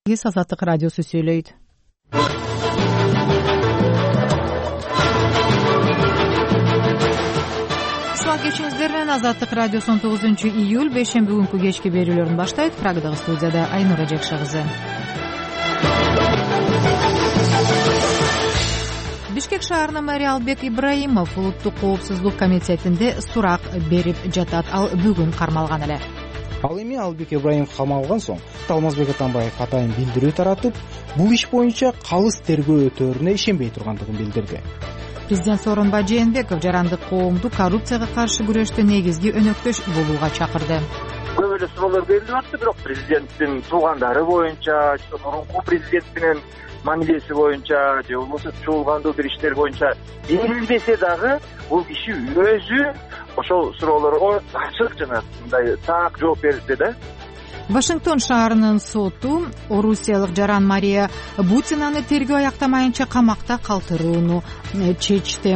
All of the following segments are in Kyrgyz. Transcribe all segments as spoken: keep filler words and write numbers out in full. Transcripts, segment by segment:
Азаттык радиосу сүйлөйт. Салам кечиңиздер менен Азаттык радиосу он тогузунчу июль бейшемби күнкү кечки берүүлөрүн баштайт. Прагадагы студияда Айнура Жакшы кызы. Бишкек шаарынын мэри Албек Ибраимов улуттук коопсуздук комитетинде сурак берип жатат. Ал бүгүн кармалган эле. Ал эми Албек Ибраимов камалган соң Алмазбек Атамбаев атайын билдирүү таратып, бул иш боюнча калыс тергөө өтөөрүнө ишенбей тургандыгын билдирди. Президент Сооронбай Жээнбеков жарандык коомду коррупцияга каршы күрөштө негизги өнөктөш болууга чакырды. Көп эле суроолор берилип атты, бирок президенттин туугандары боюнча, мурунку президент менен мамилеси боюнча же болбосо чуулгандуу бир иштер боюнча берилбесе дагы бул киши өзү ошол суроолорго ачык жана мындай так жооп берди да. Вашингтон шаарынын соту орусиялык жаран Мария Бутинаны тергөө аяктамайынча камакта калтырууну чечти.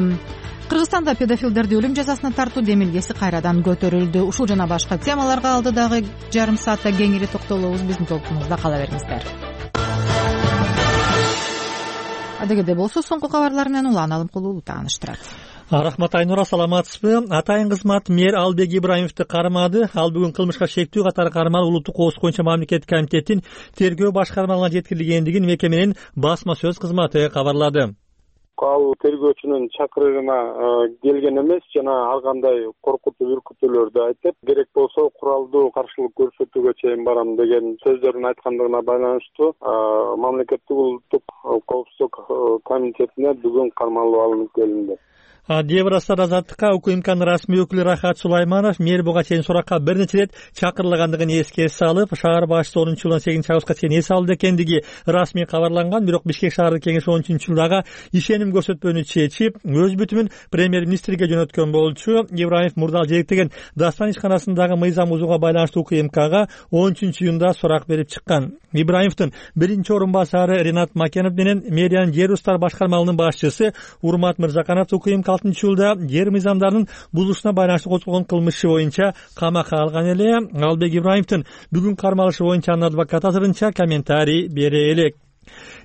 Кыргызстанда педофилдерди өлүм жазасына тартуу демилгеси кайрадан көтөрүлдү. Ушул жана башка темаларга алдыдагы жарым саатта кеңири токтолобуз. Биздин толкунубузда кала бериңиздер. Адегеде болсо соңку кабарлар менен Улан Алымкулуу тааныштырат. Рахмат Айнура, саламатсызбы? Атайын кызмат мэр Албек Ибраимовду кармады. Ал бүгүн кылмышка шектүү катары кармалып улуттук коопсуздук боюнча мамлекеттик комитеттин тергөө башкармалыгына жеткирилгендигин мекеменин басма сөз кызматы кабарлады. Ал тергөөчүнүн чакырыгына келген эмес жана ар кандай коркутуу үркүтүүлөрдү айтып, керек болсо куралдуу каршылык көрсөтүүгө чейин барам деген сөздөрүн айткандыгына байланыштуу мамлекеттик улуттук коопсуздук комитетине бүгүн кармалып алынып келинди. Деврастар Азаттыкка УКМКнын расмий өкүлү Рахат Сулайманов мэр буга чейин суракка бир нече ирет чакырылгандыгын эске салып, шаар башчысы онунчу жылдын сегизинчи августка чейин эс алды экендиги расмий кабарланган. Бирок Бишкек шаардык кеңеш он үчүнчү жылдагы ишеним көрсөтпөөнү чечип, өз бүтүмүн премьер-министрге жөнөткөн болчу. Ибраимов мурда жээктеген Дастан ишканасындагы мыйзам бузууга байланыштуу УКМКга он үчүнчү июнда сурак берип чыккан. Ибраимовдун биринчи орун басары Ринат Макенов менен мэриянын жер устар башкармалыгынын башчысы Урмат Мырзаканов УКМК алтынчы жылда жер мыйзамдарынын бузулушуна байланыштуу козголгон кылмышы боюнча камакка алган эле. Албек Ибраимовдун бүгүн кармалышы боюнча анын адвокаты азырынча комментарий бере элек.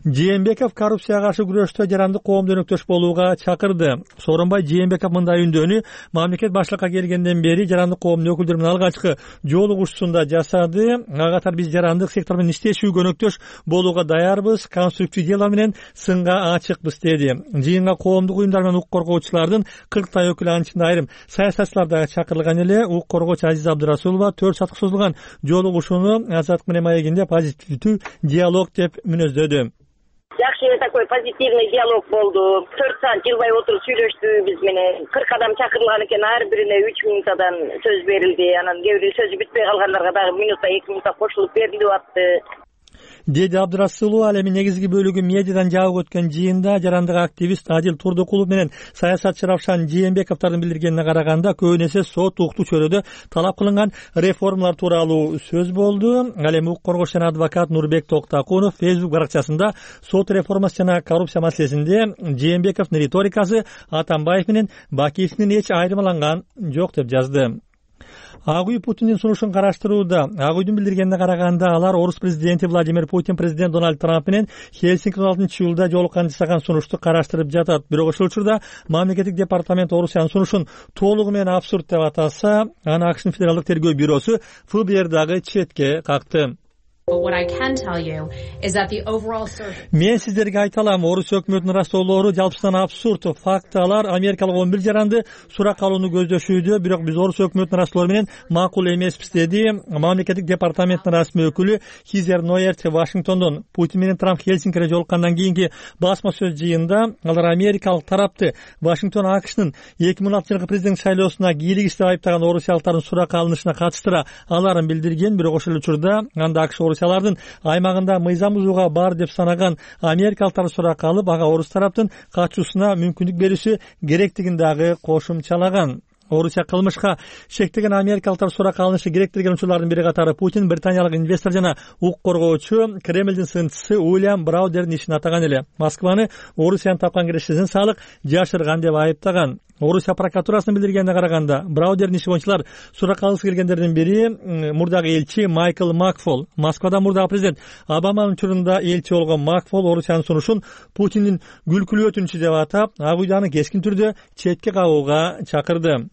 Жээнбеков коррупцияга каршы күрөштө жарандык коомду өнөктөш болууга чакырды. Сооронбай Жээнбеков мындай үндөөнү мамлекет башлыкка келгенден бери жарандык коомдун өкүлдөрү менен алгачкы жолугушуусунда жасады. Ага катар биз жарандык сектор менен иштешүүгө өнөктөш болууга даярбыз, конструктив диалог менен сынга ачыкпыз деди. Жыйынга коомдук уюмдар менен укук коргоочулардын кырктай өкүлү, анын ичинде айрым саясатчылар да чакырылган эле. Укук коргоочу Азиза Абдырасулова төрт саатка созулган жолугушууну Азаттык менен маегинде позитивдүү диалог деп мүнөздөдү. Жакшы такой позитивный диалог болду. төрт саат жылбай отуруп сүйлөштү биз менен. кырк адам чакырылган экен, ар бирине үч минутадан сөз берилди. Анан кээ бир сөзү бүтпөй калгандарга дагы минутта эки минутта кошулуп берилип атты. Деди Абдырасулова. Ал эми негизги бөлүгү медиадан жабык өткөн жыйында жарандык активист Адил Турдукулов менен саясатчы Равшан Жээнбековдун билдиргенине караганда көбүн эсе сот уктуу чөйрөдө талап кылынган реформалар тууралуу сөз болду. Ал эми укук коргоочу жана адвокат Нурбек Токтакунов Facebook баракчасында сот реформасы жана коррупция маселесинде Жээнбековдун риторикасы Атамбаев менен Бакиевдин эч айырмаланган жок деп жазды. Ак үй Путиндин сунушун караштырууда. Ак үйдүн билдиргенине караганда алар орус президенти Владимир Путин президент Дональд Трамп менен Хельсинки он алтынчы июлда жолуккан жасаган сунушту караштырып жатат. Бирок ошол учурда мамлекеттик департамент Орусиянын сунушун толугу менен абсурд деп атаса, аны АКШнын федералдык тергөө бюросу эф бэ эр дагы четке какты. Мен сиздерге айта алам, орус өкмөтүнүн растоолору жалпысынан абсурд. Фактылар америкалык он бир жаранды суракка алууну көздөшүүдө, бирок биз орус өкмөтүнүн растоолору менен макул эмеспиз, деди мамлекеттик департаменттин расмий өкүлү Хизер Ноерт Вашингтондон. Путин менен Трамп Хельсинкиде жолуккандан кийинки басма сөз жыйында алар америкалык тарапты Вашингтон АКШнын эки миң он алтынчы жылкы президент шайлоосуна кийлигиз деп айыптаган орусиялыктардын суракка алынышына катыштыра аларын билдирген. Бирок ошол учурда анда АКШ орусиялардын аймагында мыйзам бузууга бар деп санаган америкалыктарды суракка алып, ага орус тараптын катышуусуна мүмкүндүк берүүсү керектигин дагы кошумчалаган. Орусия кылмышка шектеген америкалыктар суракка алынышы керек деген учурлардын бири катары Путин британиялык инвестор жана укук коргоочу Кремлдин сынчысы Уильям Браудердин ишин атаган эле. Москваны Орусиянын тапкан кирешесин салык жашырган деп айыптаган. Орусия прокуратурасынын билдиргенине караганда, Браудердин иши боюнча суракка алгысы келгендердин бири мурдагы элчи Майкл Макфол. Москвада мурдагы президент Обаманын учурунда элчи болгон Макфол Орусиянын сунушун Путиндин күлкүлүү өтүнүчү деп атап, Ак Үйданы кескин түрдө четке кагууга чакырды.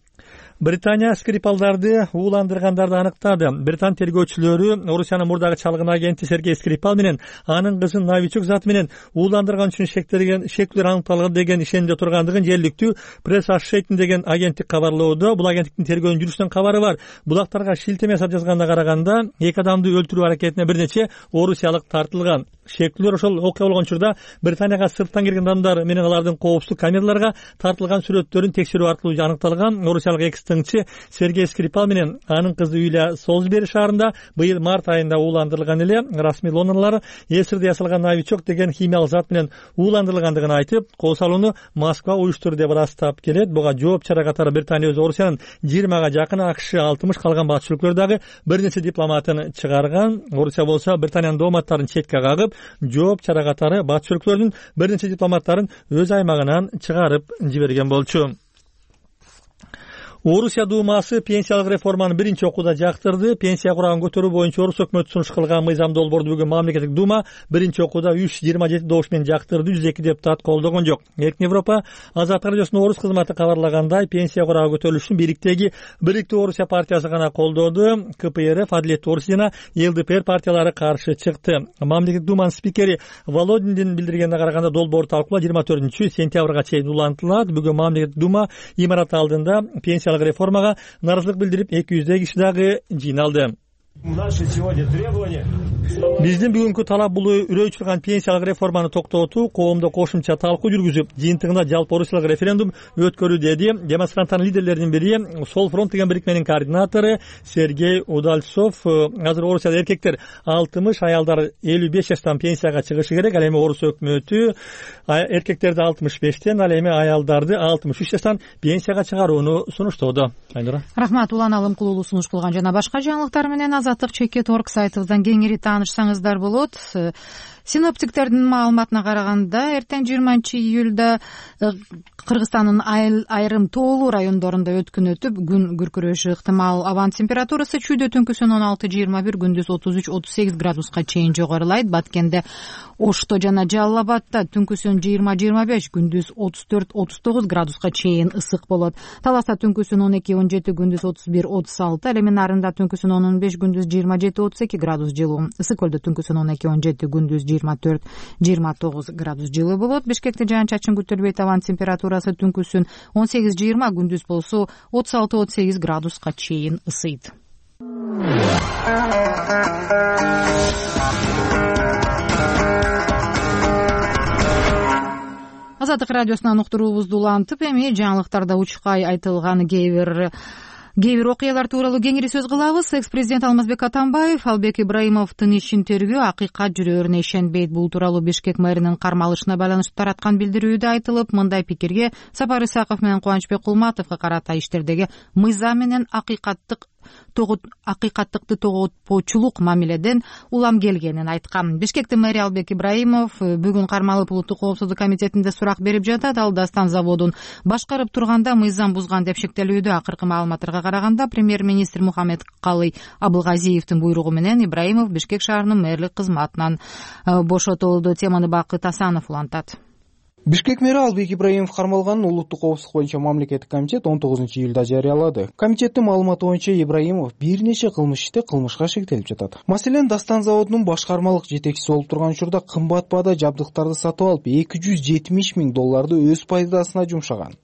Британия Скрипалдарды ууландыргандарды аныктады. Британ тергөөчүлөрү Орусиянын мурдагы чалгын агенти Сергей Скрипал менен анын кызын Новичук заты менен ууландырган үчүн шектелген шектүүлөр аныкталган деген ишенимде тургандыгын жергиликтүү пресс Association деген агенттик кабарлоодо. Бул агенттиктин тергөөнүн жүрүшүнөн кабары бар. Булактарга шилтеме жасап жазганына караганда, эки адамды өлтүрүү аракетине бир нече орусиялык тартылган. Шектүүлөр ошол окуя болгон учурда Британияга сырттан келген адамдар менен алардын коопсуздук камераларга тартылган сүрөттөрүн текшерүү аркылуу аныкталган. Орусиялык экс-тыңчы Сергей Скрипал менен анын кызы Юлия Солсбери шаарында быйыл март айында ууландырылган эле. Расмий Лондондолор эсирде ясалган Новичок деген химиялык зат менен ууландырылгандыгын айтып, кол салууну Москва уюштурду деп ырастап келет. Буга жооп чара катары Британия өзү Орусиянын жыйырмага жакын, АКШ алтымыш, калган бат өлкөлөр дагы бир нече дипломатын чыгарган. Орусия болсо Британиянын дооматтарын четке кагып, жооп чара катары батыш өлкөлөрдүн бир нече дипломаттарын өз аймагынан чыгарып жиберген болчу. Орусия Думасы пенсиялык реформаны биринчи окууда жактырды. Пенсия курагын көтөрүү боюнча Орус өкмөтү сунуш кылган мыйзам долбоорду бүгүн мамлекеттик Дума биринчи окууда үч жүз жыйырма жети добуш менен жактырды. жүз эки депутат колдогон жок. Эркин Европа Азаттык радиосунун Орус кызматы кабарлагандай, пенсия курагы көтөрүлүшүн бириктеги Бириктүү Орусия партиясы гана колдоду. КПРФ, Адилеттүү Орусия жана ЛДПР партиялары каршы чыкты. Мамлекеттик Думанын спикери Володиндин билдиргенине караганда, долбоор талкуулоо жыйырма төртүнчү сентябрга чейин улантылат. Бүгүн мамлекеттик Дума имараты алдында пенсиялык реформага нааразылык билдирип эки жүздөй киши дагы жыйналды. Биздин бүгүнкү талап бул үрөй чыккан пенсиялык реформаны токтотуу, коомдо кошумча талкуу жүргүзүп, жыйынтыгында жалпы орусиялык референдум өткөрүү, деди демонстранттардын лидерлеринин бири, Сол фронт деген бирикменин координатору Сергей Удальцов. Азыр Орусияда эркектер алтымыш, аялдар элүү беш жаштан пенсияга чыгышы керек. Ал эми Орус өкмөтү эркектерди алтымыш бештен, ал эми аялдарды алтымыш үч жаштан пенсияга чыгарууну сунуштоодо. Айнура. Рахмат. Улан Алым Кулулу сунуш кылган жана башка жаңылыктар менен Азаттык чекит орг сайтыбыздан кеңири таанышсаңыздар болот. Синоптиктердин маалыматына караганда, эртең жыйырманчы июлда Кыргызстандын айрым тоолуу райондорунда өткүн өтүп, күн күркүрөшү ыктымал. Абанын температурасы чүйдө түнкүсүн он алты жыйырма бир, күндүз отуз үч отуз сегиз градуска чейин жогорулайт. Баткенде, Ошто жана Жалал Абадта түнкүсүн жыйырма жыйырма беш, күндүз отуз төрт отуз тогуз градуска чейин ысык болот. Таласта түнкүсүн он эки он жети, күндүз отуз бир отуз алты, ал эми Нарында түнкүсүн он он беш, күндүз жыйырма жети отуз эки градус жылуу. Ысык көлдө түнкүсүн он эки он жети, күндүз жыйырма төрт жыйырма тогуз градус жылуу болот. Бишкекте жаан-чачын күтүлбөйт. Абанын температурасы түнкүсүн он сегиз жыйырма, күндүз болсо отуз алты отуз сегиз градуска чейин ысыйт. Азаттык радиосунан уктуруубузду улантып, эми жаңылыктарда учкай айтылган кээ бир кээ бир окуялар тууралуу кеңири сөз кылабыз. Экс-президент Алмазбек Атамбаев Албек Ибраимовдун ишин тергөө акыйкат жүрөөрүнө ишенбейт. Бул тууралуу Бишкек мэринин кармалышына байланыштуу тараткан билдирүүдө айтылып, мындай пикирге Сапар Исаков менен Кубанычбек Кулматовго карата иштердеги мыйзам менен акыйкаттык акыйкаттыкты тоготпоочулук мамиледен улам келгенин айткан. Бишкектин мэри Албек Ибраимов бүгүн кармалып улуттук коопсуздук комитетинде сурак берип жатат. Ал Дастан заводун башкарып турганда мыйзам бузган деп шектелүүдө. Акыркы маалыматтарга караганда, премьер-министр Мухаммед Калый Абылгазиевдин буйругу менен Ибраимов Бишкек шаарынын мэрлик кызматынан бошотулду. Теманы Бакыт Асанов улантат. Бишкек мэри Албек Ибраимов кармалганын улуттук коопсуздук боюнча мамлекеттик комитет он тогузунчу июлда жарыялады. Комитеттин маалыматы боюнча Ибраимов бир нече кылмыш иште кылмышка шектелип жатат. Маселен, Дастан заводунун башкармалык жетекчиси болуп турган учурда кымбат баада жабдыктарды сатып алып, эки жүз жетимиш миң долларды өз пайдасына жумшаган.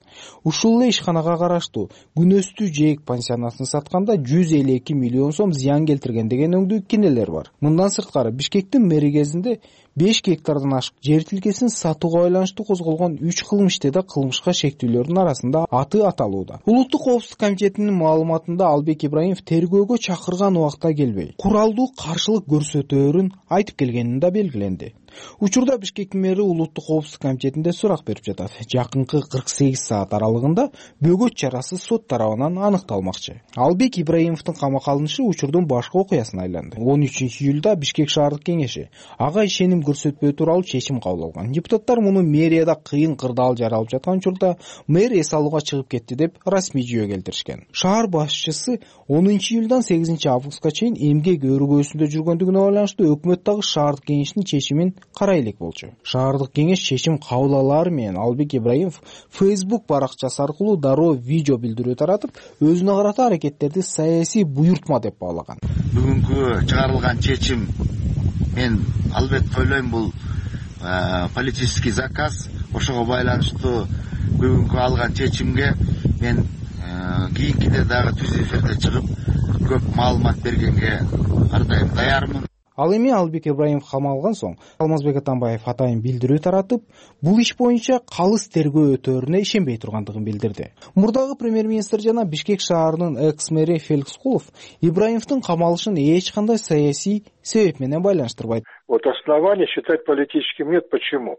Ушул эле ишканага караштуу Күнөстүү Жээк пансионатын сатканда жүз элүү эки миллион сом зыян келтирген деген өңдүү кинелер бар. Мындан сырткары, Бишкектин мэри кезинде беш гектардан ашык жер тилкесин сатууга байланыштуу козголгон үч кылмыш иште да кылмышка шектүүлөрдүн арасында аты аталууда. Улуттук коопсуздук комитетинин маалыматында Албек Ибраимов тергөөгө чакырган убакта келбей, куралдуу каршылык көрсөтөөрүн айтып келгенин да белгиленди. Учурда Бишкек мэри улуттук коопсуздук комитетинде сурак берип жатат. Жакынкы кырк сегиз саат аралыгында бөгөт чарасы сот тарабынан аныкталмакчы. Албек Ибраимовдун камакка алынышы учурдун башкы окуясына айланды. он үчүнчү июлда Бишкек шаардык кеңеши ага ишеним көрсөтпөө тууралуу чечим кабыл алган. Депутаттар муну мэрияда кыйын кырдаал жаралып жаткан учурда мэр эс алууга чыгып кетти деп расмий жүйө келтиришкен. Шаар башчысы онунчу июлдан сегизинчи августка чейин эмгек өргөөсүндө жүргөндүгүнө байланыштуу өкмөт дагы шаардык кеңештин чечимин карай элек болчу. Шаардык кеңеш чечим кабыл алаары менен Албек Ибраимов Facebook баракчасы аркылуу дароо видео билдирүү таратып, өзүнө карата аракеттерди саясий буйртма деп баалаган. Бүгүнкү чыгарылган чечим мен албетте ойлойм бул политический заказ. Ошого байланыштуу бүгүнкү алган чечимге мен кийинкиде дагы түз эфирде чыгып көп маалымат бергенге ар дайым даярмын. Ал эми Албек Ибраимов камалган соң Алмазбек Атамбаев атайын билдирүү таратып, бул иш боюнча калыс тергөө өтөөрүнө ишенбей тургандыгын билдирди. Мурдагы премьер-министр жана Бишкек шаарынын экс-мэри Феликс Кулов Ибраимовдун камалышын эч кандай саясий себеп менен байланыштырбайт. Вот основания считать политическим нет. Почему?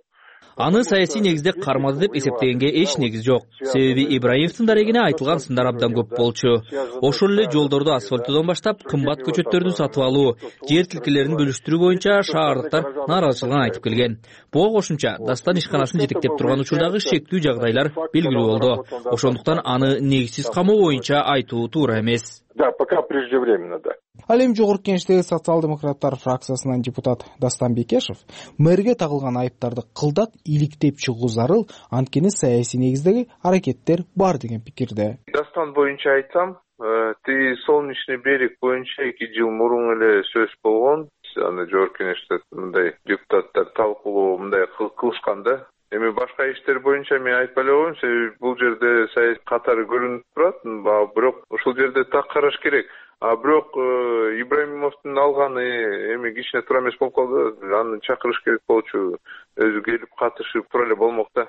Аны саясий негизде кармады деп эсептегенге эч негиз жок. Себеби Ибраимовдун дарегине айтылган сындар абдан көп болчу. Ошол эле жолдорду асфальттоодон баштап кымбат көчөттөрдү сатып алуу, жер тилкелерин бөлүштүрүү боюнча шаардыктар нааразычылыгын айтып келген. Буга кошумча Дастан ишканасын жетектеп турган учурдагы шектүү жагдайлар белгилүү болду. Ошондуктан аны негизсиз камоо боюнча айтуу туура эмес. Да, пока преждевременно, да. Ал эми жогорку кеңештеги социал-демократтар фракциясынан депутат Дастан Бекешев мэрге тагылган айыптарды кылдат иликтеп чыгуу зарыл, анткени саясий негиздеги аракеттер бар деген пикирде. Дастан боюнча айтсам, ты Солнечный берег боюнча эки жыл мурун эле сөз болгон. Аны жогорку кеңеште мындай депутаттар талкуулоо мындай кылышкан да. Эми башка иштер боюнча мен айтпай эле коеюн, себеби бул жерде саясий катары көрүнүп турат, бирок ушул жерде так караш керек. А бирок Ибраимовдун алганы эми кичине туура эмес болуп калды. Аны чакырыш керек болчу. Өзү келип катышып тура эле болмок да.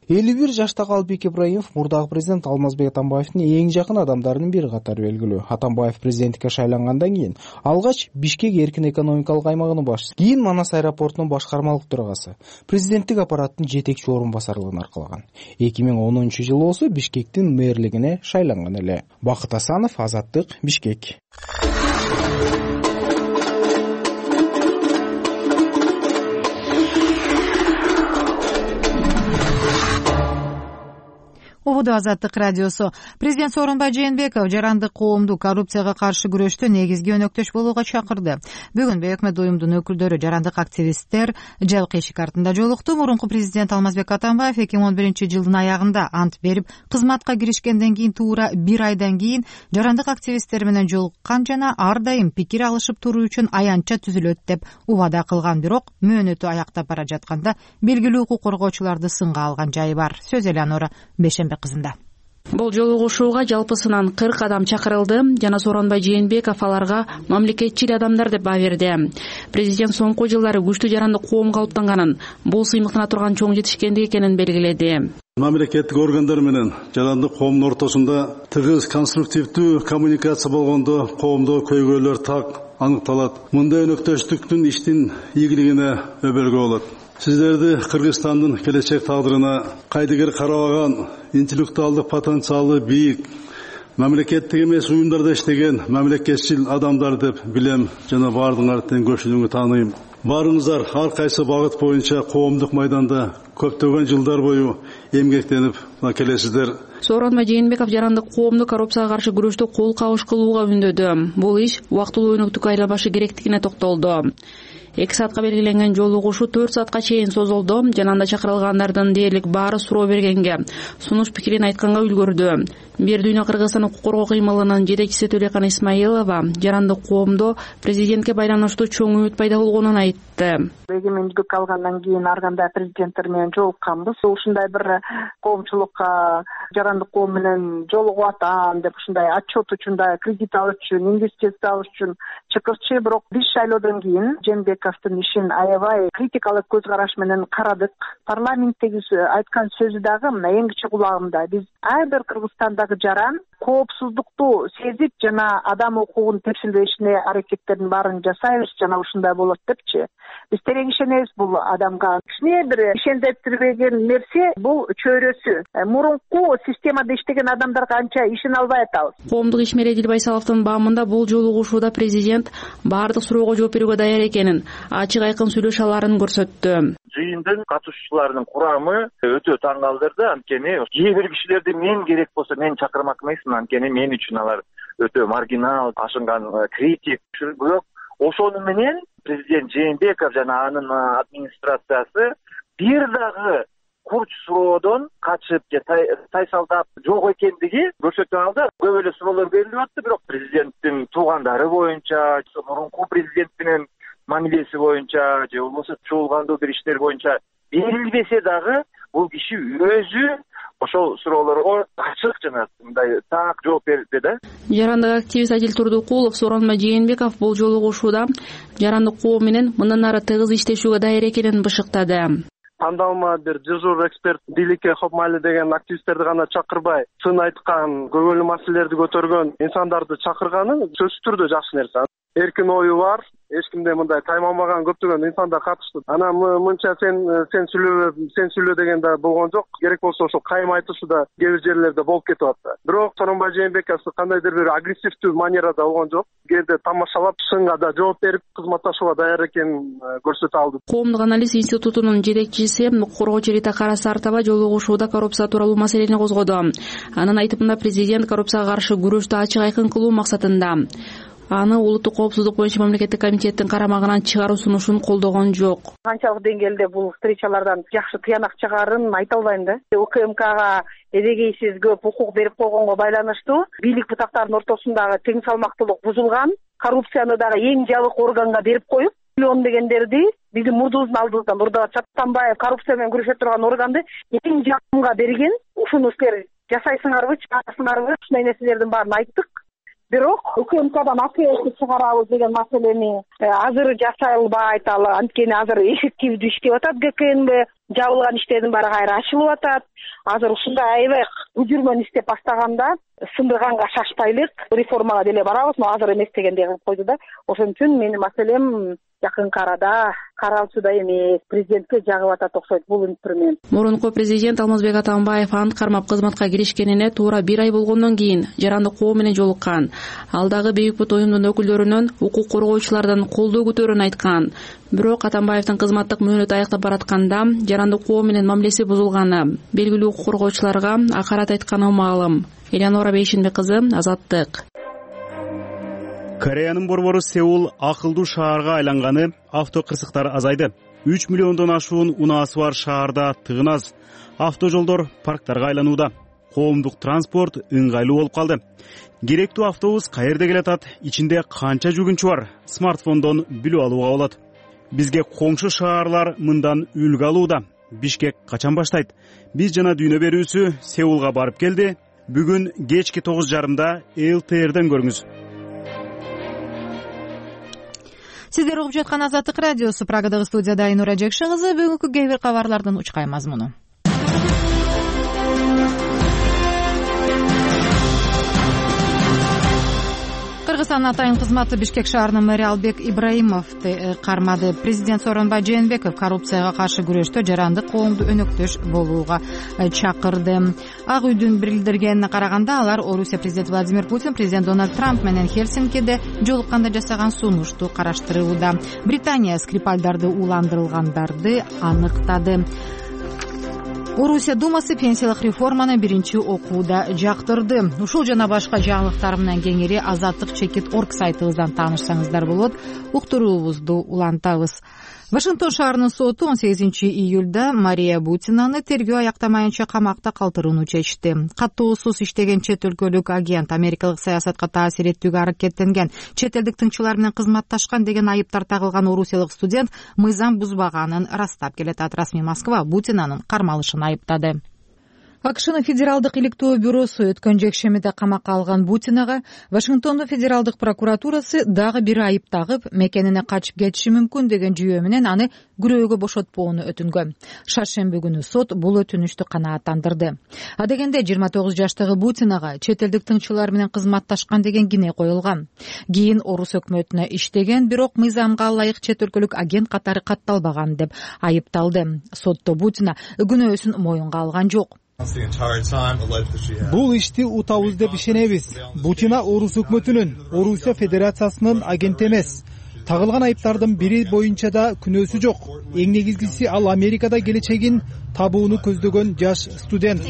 элүү бир жаштагы Албек Ибраимов мурдагы президент Алмазбек Атамбаевдин эң жакын адамдарынын бири катары белгилүү. Атамбаев президенттикке шайлангандан кийин алгач Бишкек эркин экономикалык аймагынын башчысы, кийин Манас аэропортунун башкармалык төрагасы, президенттик аппараттын жетекчи орун басарлыгын аркалаган. эки миң онунчу жылы болсо Бишкектин мэрлигине шайланган эле. Бакыт Асанов, Азаттык, Бишкек. Убуду Азаттык радиосу. Президент Сооронбай Жээнбеков жарандык коомду коррупцияга каршы күрөштө негизги өнөктөш болууга чакырды. Бүгүн өкмөт уюмдун өкүлдөрү жарандык активисттер жалкы эшик артында жолукту. Мурунку президент Алмазбек Атамбаев эки миң он биринчи жылдын аягында ант берип, кызматка киришкенден кийин туура бир айдан кийин жарандык активисттер менен жолуккан жана ар дайым пикир алышып туруу үчүн аянтча түзүлөт деп убада кылган. Бирок мөөнөтү аяктап бара жатканда белгилүү укук коргоочуларды сынга алган жайы бар. Сөз Элеонора Бешембек кызында. Бул жолугушууга жалпысынан кырк адам чакырылды жана Сооронбай Жээнбеков аларга мамлекетчил адамдар деп баа берди. Президент соңку жылдары күчтүү жарандык коом калыптанганын, бул сыймыктана турган чоң жетишкендик экенин белгиледи. Мамлекеттик органдар менен жарандык коомдун ортосунда тыгыз конструктивдүү коммуникация болгондо коомдо көйгөйлөр так аныкталат. Мындай өнөктөштүктүн иштин ийгилигине өбөлгө болот. Сиздерди Кыргызстандын келечек тагдырына кайдыгер карабаган, интеллектуалдык потенциалы бийик, мамлекеттик эмес уюмдарда иштеген мамлекетчил адамдар деп билем жана баардыгыңарды тең көпчүлүгү тааныйм. Баарыңыздар ар кайсы багыт боюнча коомдук майданда көптөгөн жылдар бою эмгектенип келесиздер. Сооронбай Жээнбеков жарандык коомду коррупцияга каршы күрөштө кол кабыш кылууга үндөдү. Бул иш убактылуу өнөктүккө айланбашы керектигине токтолду. эки саатка белгиленген жолугушуу төрт саатка чейин созулду. Жанында чакырылгандардын дээрлик баары суроо бергенге, сунуш пикирин айтканга үлгөрдү. Бир дүйнө Кыргызстан укук коргоо кыймылынын жетекчиси Төлөкан Исмаилова жарандык коомдо президентке байланыштуу чоң үмүт пайда болгонун айтты. Эгемендик алгандан кийин ар кандай президенттер менен жолукканбыз. Ушундай бир коомчулукка жарандык коом менен жолугуп атам деп ушундай отчет үчүн, кредит алыш үчүн, инвестиция алыш үчүн чыкырчы. Бирок биз шайлоодон кийин Жээнбековдун ишин аябай критикалык көз караш менен карадык. Парламенттеги айткан сөзү дагы мына эң кичи кулагымда. Биз ар бир Кыргызстандагы жаран коопсуздукту сезип жана адам укугун тепшилбешине аракеттердин баарын жасайбыз жана ушундай болот депчи биз терең ишенебиз бул адамга. Кичине бир ишендирбеген нерсе бул чөйрөсү. Мурунку системада иштеген адамдарга анча ишене албай атабыз. Коомдук ишмер Эдил Байсаловдун баамында бул жолугушууда президент баардык суроого жооп берүүгө даяр экенин, ачык айкын сүйлөшө аларын көрсөттү. Жыйындын катышуучуларынын курамы өтө таң калтырды. Анткени кээ бир кишилерди мен керек болсо мен чакырмак эмесмин, анткени мен үчүн алар өтө маргинал, ашынган критик. Бирок ошону менен президент Жээнбеков жана анын администрациясы бир дагы курч суроодон качып же тайсалдап жок экендиги көрсөтүп алды. Көп эле суроолор берилип атты, бирок президенттин туугандары боюнча, мурунку президент менен мамилеси боюнча же болбосо чуулгандуу бир иштер боюнча берилбесе дагы бул киши өзү ошол суроолорго ачык жана мындай так жооп берди да. Жарандык активист Адил Турдукулов, Сооронбай Жээнбеков бул жолугушууда жарандык коом менен мындан ары тыгыз иштешүүгө даяр экенин бышыктады. Тандалма бир дежур эксперт Дилике Хопмали деген активисттерди гана чакырбай, сын айткан, көңүлдүү маселелерди көтөргөн инсандарды чакырганы сөзсүз түрдө жакшы нерсе. Эркин ою бар, эч кимде мындай таймалмаган көптөгөн инсандар катышты. Анан мынча сен сен сүйлө, сен сүйлө дегенде болгон жок. Керек болсо ошол кайым айтышы да кээ бир жерлерде болуп кетип атты. Бирок Сооронбай Жээнбеков кандайдыр бир агрессивдүү манерада болгон жок. Кээде тамашалап, сынга да жооп берип, кызматташууга даяр экенин көрсөтө алды. Коомдук анализ институтунун жетекчиси, укук коргоочу Рита Карасартова жолугушууда коррупция тууралуу маселени козгоду. Анын айтымында президент коррупцияга каршы күрөштү ачык айкын кылуу максатында аны улуттук коопсуздук боюнча мамлекеттик комитеттин карамагынан чыгаруу сунушун колдогон жок. Канчалык деңгээлде бул встречалардан жакшы тыянак чыгарын айта албайм да. УКМКга эдегейсиз көп укук берип койгонго байланыштуу бийлик бутактарынын ортосундагы тең салмактуулук бузулган, коррупцияны дагы эң жабык органга берип коюп, миллион дегендерди биздин мурдубуздун алдыбыздан Мурда Чаттанбаев коррупция менен күрөшө турган органды эң жакынга берген. Ушуну силер жасайсыңарбы, чыгарасыңарбы? Ушундай нерселердин баарын айттык. Бирок УКМКдан апелды чыгарабыз деген маселени азыр жасай албайт. Ал анткени азыр эффективдүү иштеп атат ГКНБ, жабылган иштердин баары кайра ачылып атат. Азыр ушундай аябай үжүрмөн иштеп баштаганда сындырганга шашпайлык, реформага деле барабыз, но азыр эмес дегендей кылып койду да. Ошон үчүн менин маселем жакынкы арада каралчуда эмес, президентке жагып атат окшойт бул инструмент. Мурунку президент Алмазбек Атамбаев ант кармап кызматка киришкенине туура бир ай болгондон кийин жарандык коом менен жолуккан. Ал дагы Бейбит оюмдун өкүлдөрүнөн укук коргоочулардан колдоо күтөөрүн айткан. Бирок Атамбаевдин кызматтык мөөнөтү аяктап баратканда жарандык коом менен мамилеси бузулганы, белгилүү укук коргоочуларга акарат айтканы маалым. Элеонора Бейшенбек кызы, Азаттык. Кореянын борбору Сеул акылдуу шаарга айланганы, автокырсыктар азайды. үч миллиондон ашуун унаасы бар шаарда тыгын аз. Автожолдор парктарга айланууда. Коомдук транспорт ыңгайлуу болуп калды. Керектүү автобус каерде келатат, ичинде канча жүгүнчү бар, смартфондон билип алууга болот. Бизге коңшу шаарлар мындан үлгү алууда. Бишкек качан баштайт? Биз жана дүйнө берүүсү Сеулга барып келди. Бүгүн кечки тогуз жарымда эл тэ эрден көрүңүз. Сиздер угуп жаткан Азаттык радиосу. Прагадагы студияда Айнура Жекшин кызы. Бүгүнкү кээ бир кабарлардын учкай мазмуну. Кыргызстандын атайын кызматы Бишкек шаарынын мэри Албек Ибраимовду кармады. Президент Сооронбай Жээнбеков коррупцияга каршы күрөштө жарандык коомду өнөктөш болууга чакырды. Ак үйдүн билдиргенине караганда, алар Орусия президенти Владимир Путин президент Дональд Трамп менен Хельсинкиде жолукканда жасаган сунушту караштырууда. Британия Скрипальдарды уландырылгандарды аныктады. Орусия Думасы пенсиялык реформаны биринчи окууда жактырды. Ушул жана башка жаңылыктар менен кеңири азаттык чекит точка орг сайтыбыздан таанышсаңыздар болот. Уктуруубузду улантабыз. Вашингтон шаарынын соту он сегизинчи июлда Мария Бутинаны тергөө аяктамайынча камакта калтырууну чечти. Каттуусуз иштеген чет өлкөлүк агент америкалык саясатка таасир этүүгө аракеттенген, чет элдик тыңчылар менен кызматташкан деген айыптар тагылган орусиялык студент мыйзам бузбаганын ырастап келатат. Расмий Москва Бутинанын кармалышын айыптады. акшнын федералдык иликтөө бюросу өткөн жекшемиде камакка алган Бутинага Вашингтондун федералдык прокуратурасы дагы бир айып тагып, мекенине качып кетиши мүмкүн деген жүйө менен аны күрөөгө бошотпоону өтүнгөн. Шаршемби күнү сот бул өтүнүштү канааттандырды. Адегенде жыйырма тогуз жаштагы Бутинага чет элдик тыңчылар менен кызматташкан деген кине коюлган. Кийин орус өкмөтүнө иштеген, бирок мыйзамга ылайык чет өлкөлүк агент катары катталбаган деп айыпталды. Сотто Бутина күнөөсүн моюнга алган жок. Бул ишти утабыз деп ишенебиз. Бутина орус өкмөтүнүн, Орусия Федерациясынын агенти эмес. Тагылган айыптардын бири боюнча да күнөөсү жок. Эң негизгиси ал Америкада келечегин табууну көздөгөн жаш студент,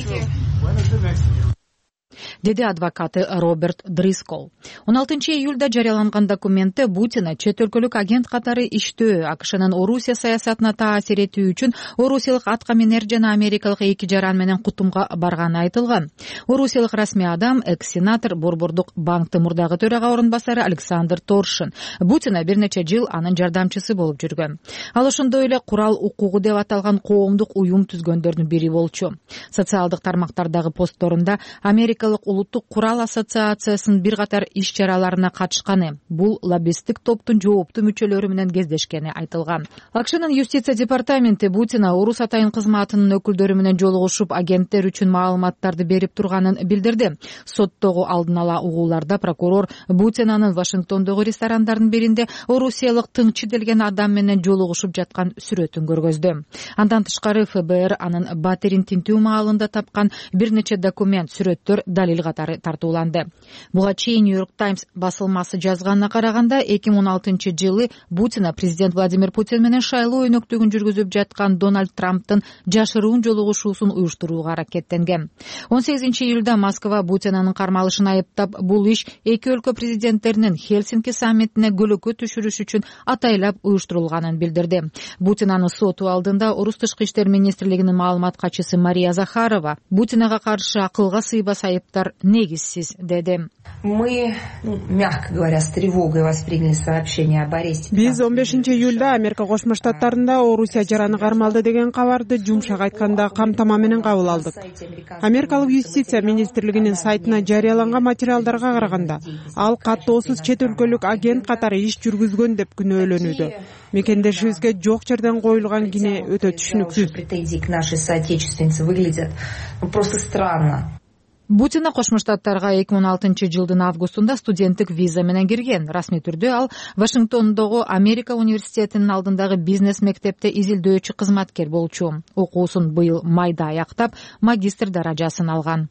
деди адвокаты Роберт Дрискол. он алтынчы июлда жарыяланган документте Бутина чет өлкөлүк агент катары иштөө, акшнын Орусия саясатына таасир этүү үчүн орусиялык атка минер жана америкалык эки жаран менен кутумга барганы айтылган. Орусиялык расмий адам, экс-сенатор, Борбордук банктын мурдагы төрага орун басары Александр Торшин. Бутина бир нече жыл анын жардамчысы болуп жүргөн. Ал ошондой эле курал укугу деп аталган коомдук уюм түзгөндөрдүн бири болчу. Социалдык тармактардагы постторунда Америкалык улуттук курал ассоциациясынын бир катар иш чараларына катышканы, бул лоббисттик топтун жооптуу мүчөлөрү менен кездешкени айтылган. акшнын юстиция департаменти Бутина орус атайын кызматынын өкүлдөрү менен жолугушуп агенттер үчүн маалыматтарды берип турганын билдирди. Соттогу алдын ала угууларда прокурор Бутинанын Вашингтондогу ресторандардын биринде орусиялык тыңчы делген адам менен жолугушуп жаткан сүрөтүн көргөздү. Андан тышкары эф бэ эр анын батирин тинтүү маалында тапкан бир нече документ, сүрөттөр далил катары тартууланды. Буга чейин New York Times басылмасы жазганына караганда эки миң он алтынчы жылы Бутина президент Владимир Путин менен шайлоо өнөктүгүн жүргүзүп жаткан Дональд Трамптын жашыруун жолугушуусун уюштурууга аракеттенген. он сегизинчи июлда Москва Бутинанын кармалышын айыптап, бул иш эки өлкө президенттеринин Хельсинки саммитине көлөкө түшүрүш үчүн атайлап уюштурулганын билдирди. Бутинанын соту алдында Орус тышкы иштер министрлигинин маалымат катчысы Мария Захарова Бутинага каршы акылга сыйбас айыптар негизсиз деди. Мы, мягко говоря, с тревогой восприняли сообщение об аресте. Биз он бешинчи июлда Америка Кошмо Штаттарында Орусия жараны кармалды деген кабарды жумшак айтканда камтама менен кабыл алдык. Америкалык юстиция министрлигинин сайтына жарыяланган материалдарга караганда, ал каттоосуз чет өлкөлүк агент катары иш жүргүзгөн деп күнөөлөнүүдө. Мекендешибизге жок жерден коюлган кине өтө түшүнүксүз. Претензии к нашей соотечественнице выглядят просто странно. Бутина Кошмо Штаттарга эки миң он алтынчы жылдын августунда студенттик виза менен кирген. Расмий түрдө ал Вашингтондогу Америка университетинин алдындагы бизнес мектепте изилдөөчү кызматкер болчу. Окуусун быйыл майда аяктап, магистр даражасын алган.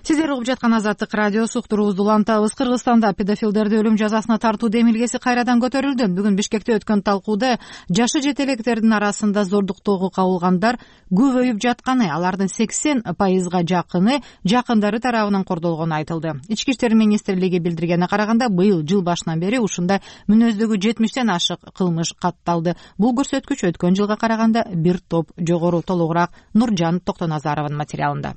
Сиздер угуп жаткан Азаттык радиосу, уктуруубузду улантабыз. Кыргызстанда педофилдерди өлүм жазасына тартуу демилгеси кайрадан көтөрүлдү. Бүгүн Бишкекте өткөн талкууда жашы жетелектердин арасында зордуктоого кабылгандар көбөйүп жатканы, алардын сексен пайызга жакыны жакындары тарабынан кордолгону айтылды. Ички иштер министрлиги билдиргенине караганда, быйыл жыл башынан бери ушундай мүнөздөгү жетимиштен ашык кылмыш катталды. Бул көрсөткүч өткөн жылга караганда бир топ жогору. Толугураак Нуржан Токтоназаровдун материалында.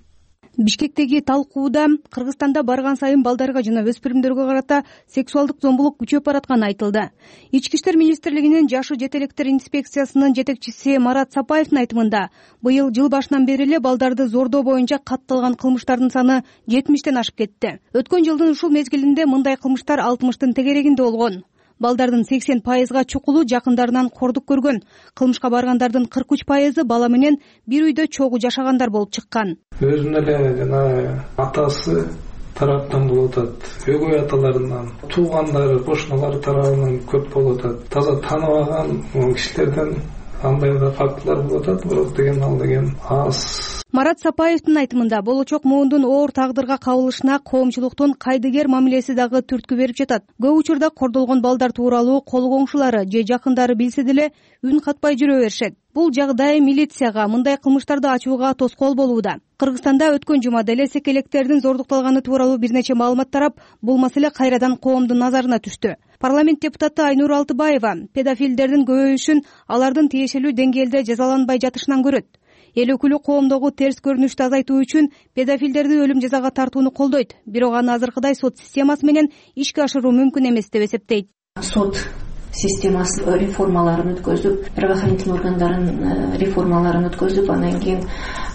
Бишкектеги талкууда Кыргызстанда барган сайын балдарга жана өспүрүмдөргө карата сексуалдык зомбулук күчөп баратканы айтылды. Ички иштер министрлигинин жашы жетелектер инспекциясынын жетекчиси Марат Сапаевдин айтымында, быйыл жыл башынан бери эле балдарды зордоо боюнча катталган кылмыштардын саны жетимиштен ашып кетти. Өткөн жылдын ушул мезгилинде мындай кылмыштар алтымыштын тегерегинде болгон. Балдардын сексен пайызга чукулу жакындарынан кордук көргөн. Кылмышка баргандардын кырк үч пайызы бала менен бир үйдө чогуу жашагандар болуп чыккан. Өзүнүн эле жана атасы тараптан болуп атат, өгөй аталарынан, туугандары, кошуналары тарабынан көп болуп атат. Таза тааныбаган кишилерден андай да фактылар болуп атат, бирок деген ал деген аз. Марат Сапаевдин айтымында, болочок муундун оор тагдырга кабылышына коомчулуктун кайдыгер мамилеси дагы түрткү берип жатат. Көп учурда кордолгон балдар тууралуу кол коңшулары же жакындары билсе деле үн катпай жүрө беришет. Бул жагдай милицияга мындай кылмыштарды ачууга тоскоол болууда. Кыргызстанда өткөн жумада эле секелектердин зордукталганы тууралуу бир нече маалымат тарап, бул маселе кайрадан коомдун назарына түштү. Парламент депутаты Айнур Алтыбаева педофилдердин көбөйүшүн алардын тиешелүү деңгээлде жазаланбай жатышынан көрөт. Эл өкүлү коомдогу терс көрүнүштү азайтуу үчүн педофилдерди өлүм жазага тартууну колдойт. Бирок аны азыркыдай сот системасы менен ишке ашыруу мүмкүн эмес деп эсептейт. Суд системасын реформаларын өткөзүп, правоохранительный органдарын реформаларын өткөзүп, анан кийин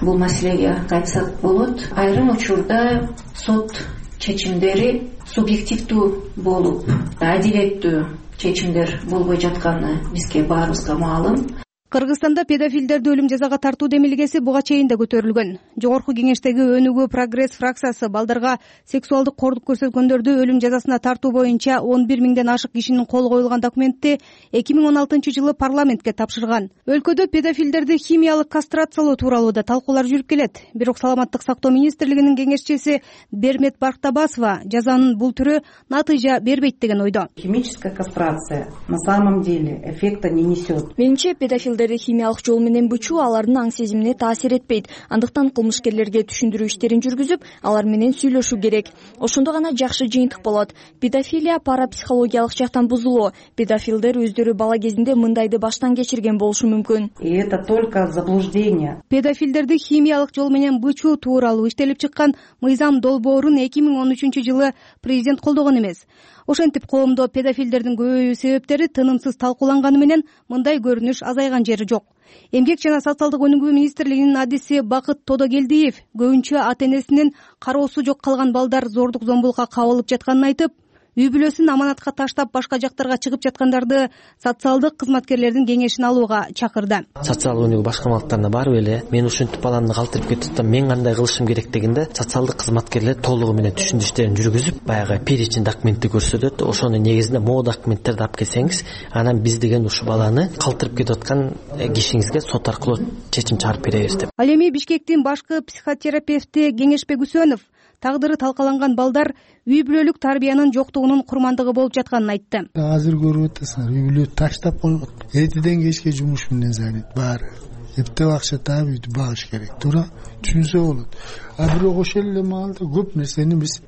бул маселеге кайтсак болот. Айрым учурда сот чечимдери субъективдүү болуп, адилеттүү чечимдер болбой жатканы бизге баарыбызга маалым. Кыргызстанда педофилдерди өлүм жазага тартуу демилгеси буга чейин да көтөрүлгөн. Жогорку кеңештеги Өнүгүү Прогресс фракциясы балдарга сексуалдык кордук көрсөткөндөрдү өлүм жазасына тартуу боюнча он бир миңден ашык кишинин колу коюлган документти эки миң он алтынчы жылы парламентке тапшырган. Өлкөдө педофилдерди химиялык кастрациялоо тууралуу да талкуулар жүрүп келет. Бирок Саламаттык сактоо министрлигинин кеңешчиси Бермет Бактабасова жазанын бул түрү натыйжа бербейт деген ойдо. Химическая кастрация на самом деле эффекта не несет. Менимче педофил химиялык жол менен бычуу алардын аң сезимине таасир этпейт. Андыктан кылмышкерлерге түшүндүрүү иштерин жүргүзүп, алар менен сүйлөшүү керек. Ошондо гана жакшы жыйынтык болот. Педофилия парапсихологиялык жактан бузулуу. Педофилдер өздөрү бала кезинде мындайды баштан кечирген болушу мүмкүн. И это только заблуждение. Педофилдерди химиялык жол менен бычуу тууралуу иштелип чыккан мыйзам долбоорун эки миң он үчүнчү жылы президент колдогон эмес. Ошентип коомдо педофилдердин көбөйүү себептери тынымсыз талкууланганы менен мындай көрүнүш азайган жери жок. Эмгек жана социалдык өнүгүү министрлигинин адиси Бакыт Тодогелдиев көбүнчө ата-энесинин кароосу жок калган балдар зордук зомбулукка кабылып жатканын айтып, үй бүлөсүн аманатка таштап башка жактарга чыгып жаткандарды социалдык кызматкерлердин кеңешин алууга чакырды. Социалдык өнүгүү башкармалыктарына барып эле мен ушинтип баламды калтырып кетип атам, мен кандай кылышым керек дегенде социалдык кызматкерлер толугу менен түшүндүрүү иштерин жүргүзүп, баягы перечень документти көрсөтөт. Ошонун негизинде могу документтерди алып келсеңиз, анан биз деген ушу баланы калтырып кетип аткан кишиңизге сот аркылуу чечим чыгарып беребиз деп. Ал эми Бишкектин башкы психотерапевти Кеңешбек Үсөнов тагдыры талкаланган балдар үй бүлөлүк тарбиянын жоктугунун курмандыгы болуп жатканын айтты. Азыр көрүп атасыңар, үй бүлө таштап койгон. Эртеден кечке жумуш менен занят баары. Эптеп акча таап үйдү багыш керек. Туура түшүнсө болот. А бирок ошол эле маалда көп нерсени биз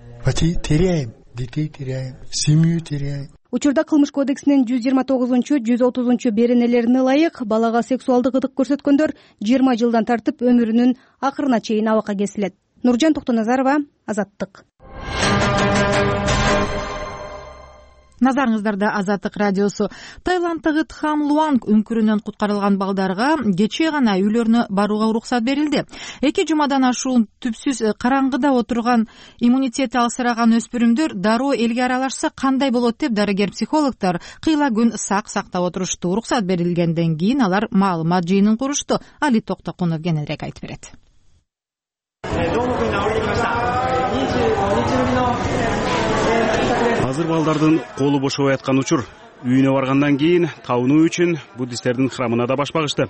теряем, детей теряем, семью теряем. Учурда кылмыш кодексинин жүз жыйырма тогузунчу, жүз отузунчу беренелерине ылайык балага сексуалдык ыдык көрсөткөндөр жыйырма жылдан тартып өмүрүнүн акырына чейин абакка кесилет. Нуржан Токтоназарова, Азаттык. Назарыңыздарда Азаттык радиосу. Таиланддагы Тхам Луанг үңкүрүнөн куткарылган балдарга кечээ гана үйлөрүнө барууга уруксат берилди. Эки жумадан ашуун түпсүз караңгыда отурган иммунитети алсыраган өспүрүмдөр дароо элге аралашса кандай болот деп дарыгер-психологдор кыйла күн сак сактап отурушту. Уруксат берилгенден кийин алар маалымат жыйынын курушту. Али Токтокунов кененирээк айтып берет. Азыр балдардын колу бошобой аткан учур. Үйүнө баргандан кийин табынуу үчүн буддисттердин храмына да баш багышты.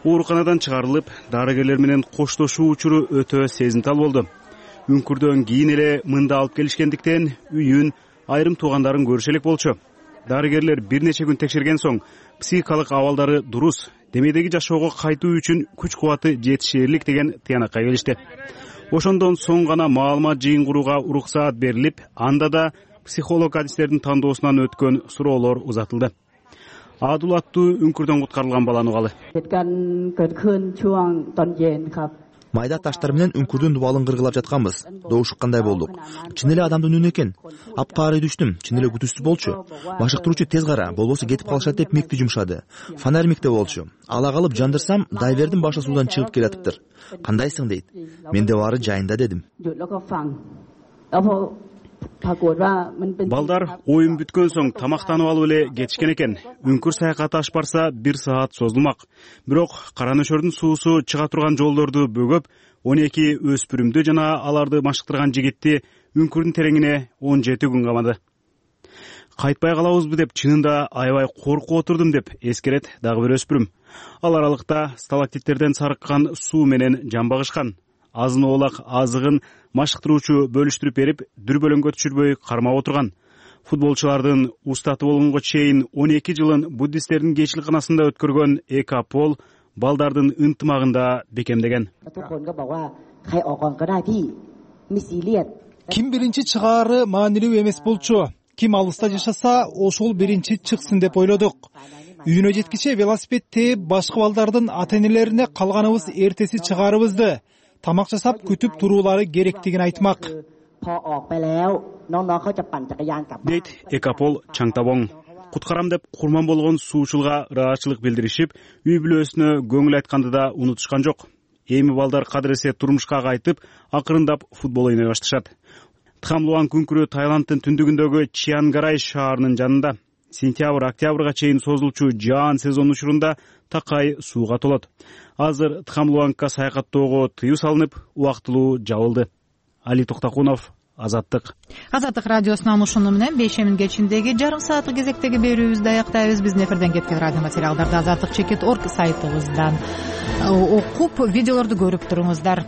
Ооруканадан чыгарылып, дарыгерлер менен коштошуу учуру өтө сезимтал болду. Үңкүрдөн кийин эле мында алып келишкендиктен үйүн, айрым туугандарын көрүшө элек болчу. Дарыгерлер бир нече күн текшерген соң психикалык абалдары дурус, демедеги жашоого кайтуу үчүн күч кубаты жетишээрлик деген тыянакка келишти. Ошондон соң гана маалымат жыйын курууга уруксаат берилип, анда да психолог адистердин тандоосунан өткөн суроолор узатылды. Адул аттуу үңкүрдөн куткарылган баланы угалы. Майда таштар менен үңкүрдүн дубалын кыргылап жатканбыз. Добушуккандай болдук. Чын эле адамдын үнү экен. Апкары түштүм, чын эле күтүүсүз болчу. Башыктыруучу тез кара, болбосо кетип калышат деп микти жумшады. Фонарь микте болчу. Ала калып жандырсам, дайвердин башы суудан чыгып келатыптыр. Кандайсың дейт. Мен де баары жайында дедим. Балдар оюн бүткөн соң тамактанып алып эле кетишкен экен. Үңкүр саякаты аш барса бир саат созулмак. Бирок Кара Нөшөрдүн суусу чыга турган жолдорду бөгөп, он эки өспүрүмдү жана аларды машыктырган жигитти үңкүрдүн тереңине он жети күн камады. Кайтпай калабызбы деп чынында аябай коркуп отурдум деп эскерет дагы бир өспүрүм. Ал аралыкта сталактиттерден сарыккан суу менен жан багышкан. Азын оолак азыгын машыктыруучу бөлүштүрүп берип, дүрбөлөңгө түшүрбөй кармап отурган. Футболчулардын устаты болгонго чейин он эки жылын буддисттердин кечилканасында өткөргөн Экапол балдардын ынтымагында бекемдеген. Ким биринчи чыгаары маанилүү эмес болчу. Ким алыста жашаса, ошол биринчи чыксын деп ойлодук. Үйүнө жеткиче велосипед тээп, башка балдардын ата-энелерине калганыбыз эртеси чыгаарыбызды, тамак жасап күтүп туруулары керектигин айтмак. Дейт Экапол Чаңтабоң. куткарам деп курман болгон суучулга ыраазычылык билдиришип, үй бүлөсүнө көңүл айтканды да унутушкан жок. Эми балдар кадыресе турмушка кайтып, акырындап футбол ойной башташат. Тхамлуан күңкүрү Таиланддын түндүгүндөгү Чиангарай шаарынын жанында. Сентябрь октябрга чейин созулчу жаан сезон учурунда такай сууга толот. Азыр Тхамлуангка саякаттоого тыюу салынып, убактылуу жабылды. Али Токтокунов, Азаттык. Азаттык радиосунан ушуну менен бешемин кечиндеги жарым сааттык кезектеги берүүбүздү аяктайбыз. Биздин эфирден кеткен радио материалдарды азаттык чекит орг сайтыбыздан окуп, видеолорду көрүп туруңуздар.